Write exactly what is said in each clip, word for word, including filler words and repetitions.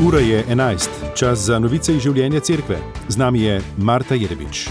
Ura je enajst, čas za novice iz življenja cerkve. Z nami je Marta Jerebič.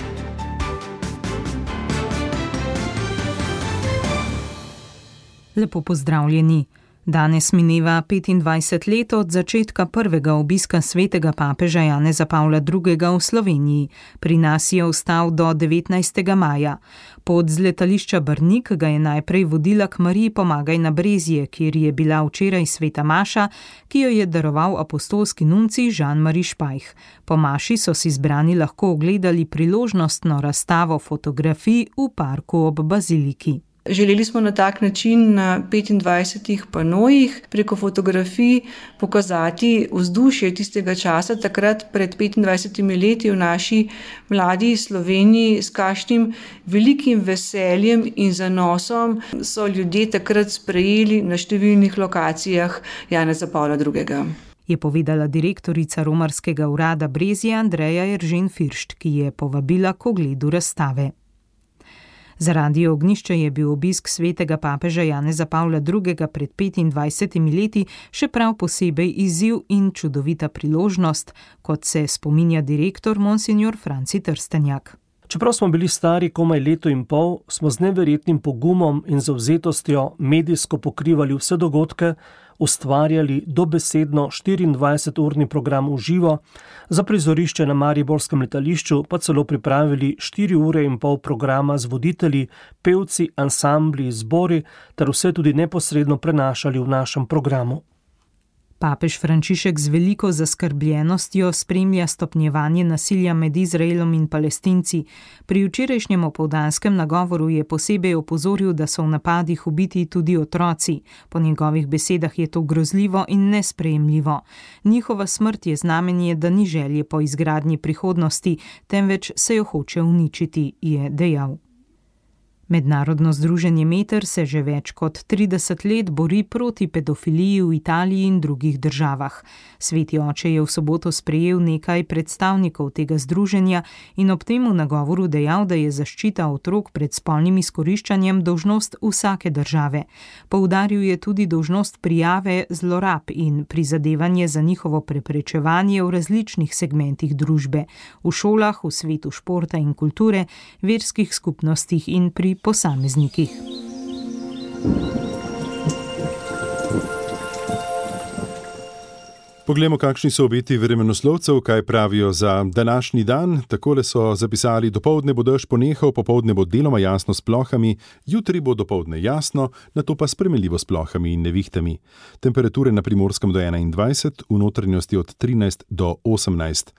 Lepo pozdravljeni. Danes mineva petindvajset let od začetka prvega obiska svetega papeža Janeza Pavla drugega v Sloveniji. Pri nas je ostal do devetnajstega maja. Pot z letališča Brnik ga je najprej vodila k Mariji Pomagaj na Brezje, kjer je bila včeraj sveta maša, ki jo je daroval apostolski nuncij Jean-Marie Špajh. Po maši so si zbrani lahko ogledali priložnostno razstavo fotografij v parku ob baziliki. Želeli smo na tak način na petindvajsetih panojih preko fotografij pokazati vzdušje tistega časa, takrat pred petindvajsetimi leti v naši mladi Sloveniji, s kakšnim velikim veseljem in zanosom so ljudje takrat sprejeli na številnih lokacijah Janeza Pavla drugega. Je povedala direktorica romarskega urada Brezje Andreja Eržen Firšt, ki je povabila k ogledu razstave. Za Radio Ognjišče je bil obisk svetega papeža Janeza Pavla drugega pred petindvajsetimi leti še prav posebej izziv in čudovita priložnost, kot se spominja direktor monsignor Franci Trstenjak. Čeprav smo bili stari komaj leto in pol, smo z neverjetnim pogumom in zavzetostjo medijsko pokrivali vse dogodke, ustvarjali dobesedno štiriindvajseturni program v živo, za prizorišče na mariborskem letališču pa celo pripravili štiri ure in pol programa z voditelji, pevci, ansambli, zbori ter vse tudi neposredno prenašali v našem programu. Papež Frančišek z veliko zaskrbljenostjo spremlja stopnjevanje nasilja med Izraelom in Palestinci. Pri včerajšnjem opoldanskem nagovoru je posebej opozoril, da so v napadih ubiti tudi otroci. Po njegovih besedah je to grozljivo in nesprejemljivo. Njihova smrt je znamenje, da ni želje po izgradnji prihodnosti, temveč se jo hoče uničiti, je dejal. Mednarodno združenje Meter se že več kot trideset let bori proti pedofiliji v Italiji in drugih državah. Sveti oče je v soboto sprejel nekaj predstavnikov tega združenja in ob tem v nagovoru dejal, da je zaščita otrok pred spolnim izkoriščanjem dolžnost vsake države. Poudaril je tudi dolžnost prijave zlorab in prizadevanje za njihovo preprečevanje v različnih segmentih družbe, v šolah, v svetu športa in kulture, verskih skupnostih in pri posameznikih. Poglejmo, kakšni so obeti vremenoslovcev, kaj pravijo za današnji dan. Takole so zapisali: dopoldne bo dež ponehal, popoldne bo deloma jasno s plohami, jutri bo dopoldne jasno, nato pa spremenljivo s plohami in nevihtami. Temperature na Primorskem do enaindvajset, v notranjosti od trinajst do osemnajst.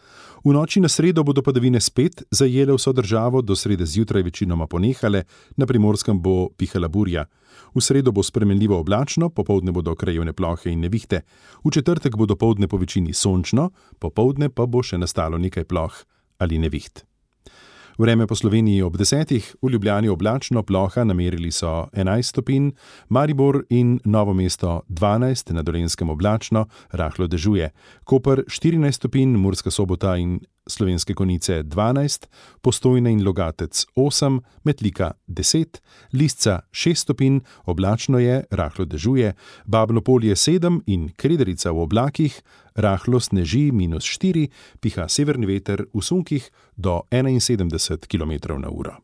V noči na sredo bodo padavine spet zajele vso državo, do srede zjutraj večinoma ponehale, na Primorskem bo pihala burja. V sredo bo spremenljivo oblačno, popoldne bodo krajevne plohe in nevihte. V četrtek bo dopoldne po večini sončno, popoldne pa bo še nastalo nekaj ploh ali neviht. Vreme po Sloveniji ob desetih, v Ljubljani oblačno, ploha, namerili so enajst stopinj, Maribor in Novo mesto dvanajst, na Dolenjskem oblačno, rahlo dežuje, Koper štirinajst stopinj, Murska Sobota in Slovenske Konjice dvanajst, Postojna in Logatec osem, Metlika deset, Lisca šest stopinj, oblačno je, rahlo dežuje, Babno Polje sedem in Krederica v oblakih, rahlo sneži minus štiri, piha severni veter v sunkih do enainsedemdeset kilometrov na uro.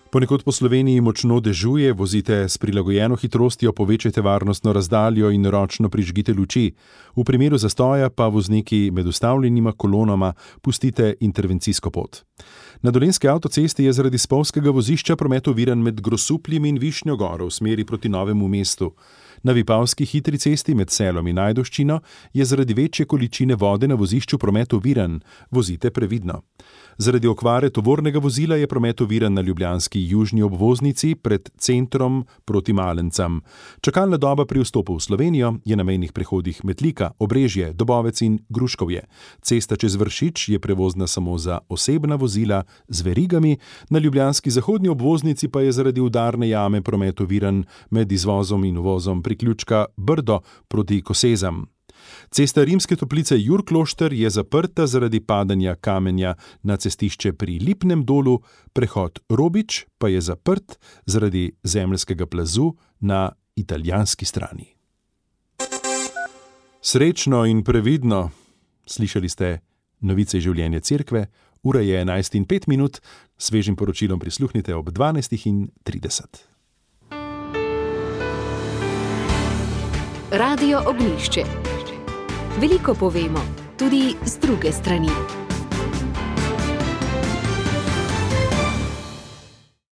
Ponekod po Sloveniji močno dežuje, vozite s prilagojeno hitrostjo, povečajte varnostno razdaljo in ročno prižgite luči. V primeru zastoja pa vozniki med ustavljenima kolonama pustite intervencijsko pot. Na Dolenjski avtocesti je zaradi spolzkega vozišča promet oviran med Grosupljem in Višnjo Goro v smeri proti Novemu mestu. Na Vipavski hitri cesti med Selom in Ajdovščino je zaradi večje količine vode na vozišču promet oviran, vozite previdno. Zaradi okvare tovornega vozila je promet oviran na ljubljanski južni obvoznici pred centrom proti Malencam. Čakalna doba pri vstopu v Slovenijo je na mejnih prehodih Metlika, Obrežje, Dobovec in Gruškovje. Cesta čez Vršič je prevozna samo za osebna vozila z verigami, na ljubljanski zahodni obvoznici pa je zaradi udarne jame promet oviran med izvozom in uvozom priključka Brdo proti Kosezam. Cesta Rimske Toplice Jurklošter je zaprta zaradi padanja kamenja na cestišče pri Lipnem dolu, prehod Robič pa je zaprt zaradi zemeljskega plazu na italijanski strani. Srečno in previdno. Slišali ste novice življenja cerkve, ura je enajst in pet minut, svežim poročilom prisluhnite ob dvanajst in trideset. Radio Ognjišče. Veliko povemo, tudi z druge strani.